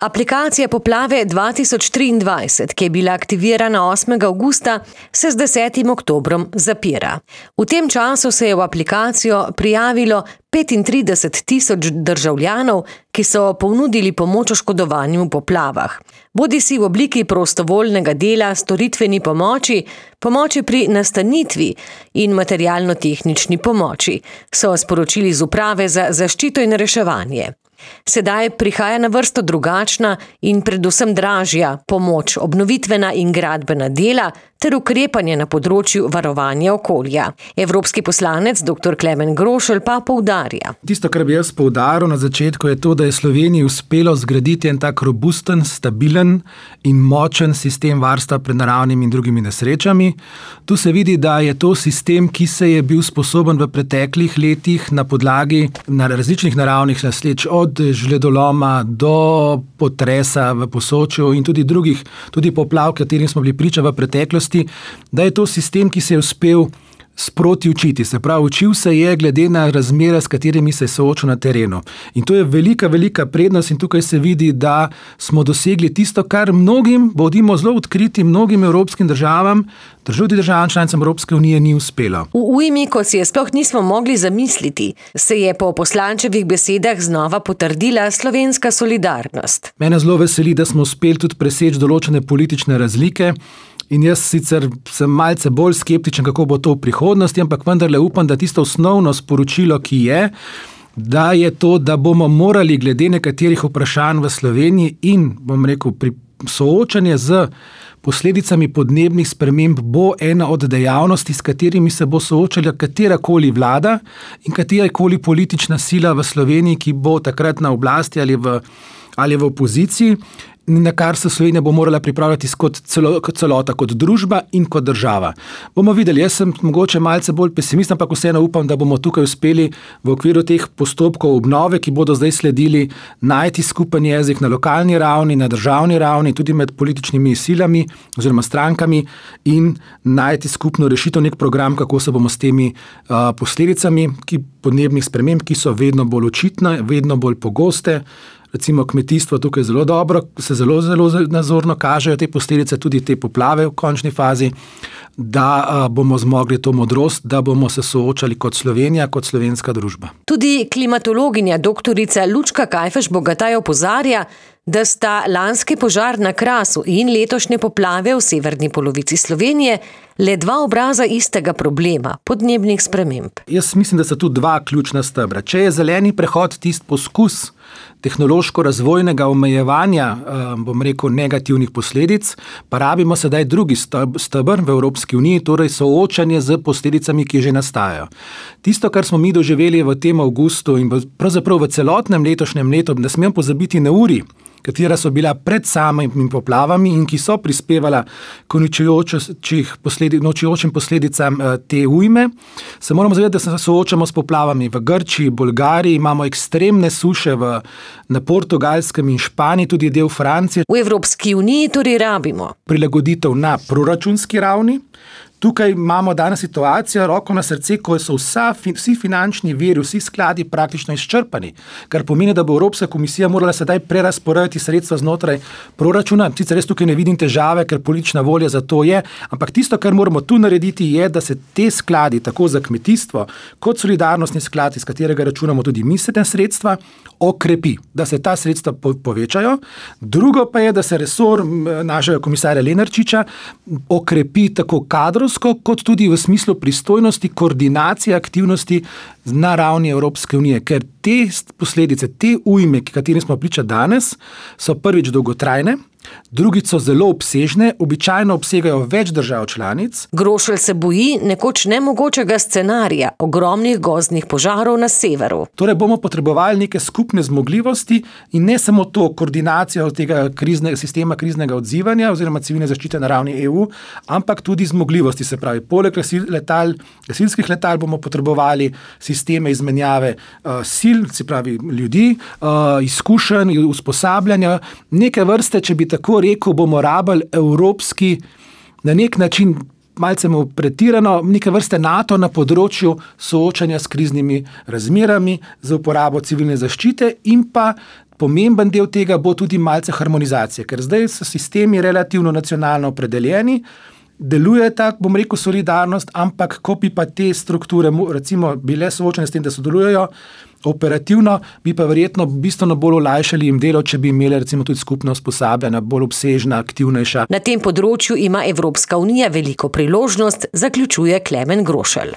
Aplikacija Poplave 2023, ki je bila aktivirana 8. avgusta, se z 10. oktobrom zapira. V tem času se je v aplikacijo prijavilo 35.000 državljanov, ki so ponudili pomoč oškodovanim v poplavah. Bodisi v obliki prostovoljnega dela, storitveni pomoči, pomoči pri nastanitvi in materialno-tehnični pomoči, so sporočili z Uprave za zaščito in reševanje. Sedaj prihaja na vrsto drugačna in predvsem dražja pomoč, obnovitvena in gradbena dela ter ukrepanje na področju varovanja okolja. Evropski poslanec dr. Klemen Grošelj pa poudarja. Tisto, kar bi jaz poudaril na začetku, je to, da je Sloveniji uspelo zgraditi en tak robusten, stabilen in močen sistem varstva pred naravnimi in drugimi nesrečami. Tu se vidi, da je to sistem, ki se je bil sposoben v preteklih letih na podlagi različnih naravnih nesreč, od žledoloma do potresa v Posočju in tudi drugih, tudi poplav, katerim smo bili priča v preteklosti, da je to sistem, ki se je uspel sproti učiti. Se pravi, učil se je glede na razmere, s katerimi se je soočil na terenu. In to je velika prednost in tukaj se vidi, da smo dosegli tisto, kar mnogim, bodimo zelo odkriti, mnogim evropskim državam članicam Evropske unije ni uspelo. V ujmi, ko si je sploh nismo mogli zamisliti, se je po poslančevih besedah znova potrdila slovenska solidarnost. Mene zelo veseli, da smo uspeli tudi preseči določene politične razlike. In jaz sicer sem malce bolj skeptičen, kako bo to v prihodnosti, ampak vendarle upam, da tisto osnovno sporočilo, ki je, da je to, da bomo morali glede nekaterih vprašanj v Sloveniji in, pri soočanju z posledicami podnebnih sprememb bo ena od dejavnosti, s katerimi se bo soočala katerakoli vlada in katerakoli politična sila v Sloveniji, ki bo takrat na oblasti ali v opoziciji, na kar se Slovenija bo morala pripravljati kot celota, kot družba in kot država. Bomo videli, jaz sem mogoče malce bolj pesimist, ampak vseeno upam, da bomo tukaj uspeli v okviru teh postopkov obnove, ki bodo zdaj sledili, najti skupen jezik na lokalni ravni, na državni ravni, tudi med političnimi silami oziroma strankami in najti skupno rešitev, nek program, kako se bomo s temi posledicami podnebnih sprememb, ki so vedno bolj očitne, vedno bolj pogoste. Recimo kmetijstvo tukaj se zelo nazorno kažejo te posledice, tudi te poplave v končni fazi, da bomo zmogli to modrost, da bomo se soočali kot Slovenija, kot slovenska družba. Tudi klimatologinja doktorica Lučka Kajfež-Bogataj opozarja, da sta lanski požar na Krasu in letošnje poplave v severni polovici Slovenije le dva obraza istega problema, podnebnih sprememb. Jaz mislim, da so tu dva ključna stebra. Če je zeleni prehod tisti poskus tehnološko-razvojnega omejevanja, negativnih posledic, pa rabimo sedaj drugi steber v Evropski uniji, torej soočanje z posledicami, ki že nastajajo. Tisto, kar smo mi doživeli v tem avgustu in pravzaprav v celotnem letošnjem letu, ne smem pozabiti na uri, katera so bila pred samimi poplavami in ki so prispevala k uničujočim posledicam te ujme, se moramo zavedati, da se soočamo s poplavami v Grčiji, Bolgariji, imamo ekstremne suše na Portugalskem in Španiji, tudi del Francije. V Evropski uniji torej rabimo prilagoditev na proračunski ravni. Tukaj imamo danes situacijo, roko na srce, ko so vsi finančni viri, vsi skladi praktično izčrpani, kar pomeni, da bo Evropska komisija morala sedaj prerazporejati sredstva znotraj proračuna. Sicer res tukaj ne vidim težave, ker politična volja za to je, ampak tisto, kar moramo tu narediti, je, da se te skladi, tako za kmetijstvo, kot solidarnostni sklad, iz katerega računamo tudi mislite sredstva, okrepi, da se ta sredstva povečajo. Drugo pa je, da se resor našega komisarja Lenarčiča okrepi tako kadrovsko, kot tudi v smislu pristojnosti, koordinacije aktivnosti na ravni Evropske unije, ker te posledice, te ujme, katerim smo priča danes, so prvič dolgotrajne, drugič so zelo obsežne, običajno obsegajo več držav članic. Grošelj se boji nekoč nemogočega scenarija ogromnih gozdnih požarov na severu. Torej bomo potrebovali neke skupne zmogljivosti in ne samo to koordinacijo tega sistema kriznega odzivanja oziroma civilne zaščite na ravni EU, ampak tudi zmogljivosti, se pravi, poleg gasilskih letal bomo potrebovali sisteme izmenjave sil, se pravi ljudi, izkušenj, usposabljanja, neke vrste, če bi tako rekel, bomo rabili evropski, na nek način malce pretirano, neke vrste NATO na področju soočanja s kriznimi razmerami, za uporabo civilne zaščite in pa pomemben del tega bo tudi malce harmonizacije, ker zdaj so sistemi relativno nacionalno opredeljeni, deluje ta, bom rekel, solidarnost, ampak ko bi pa te strukture recimo bile soočene s tem, da sodelujejo operativno, bi pa verjetno bistveno bolj olajšali jim delo, če bi imeli recimo tudi skupno usposabljanja, bolj obsežna, aktivnejša. Na tem področju ima Evropska unija veliko priložnost, zaključuje Klemen Grošelj.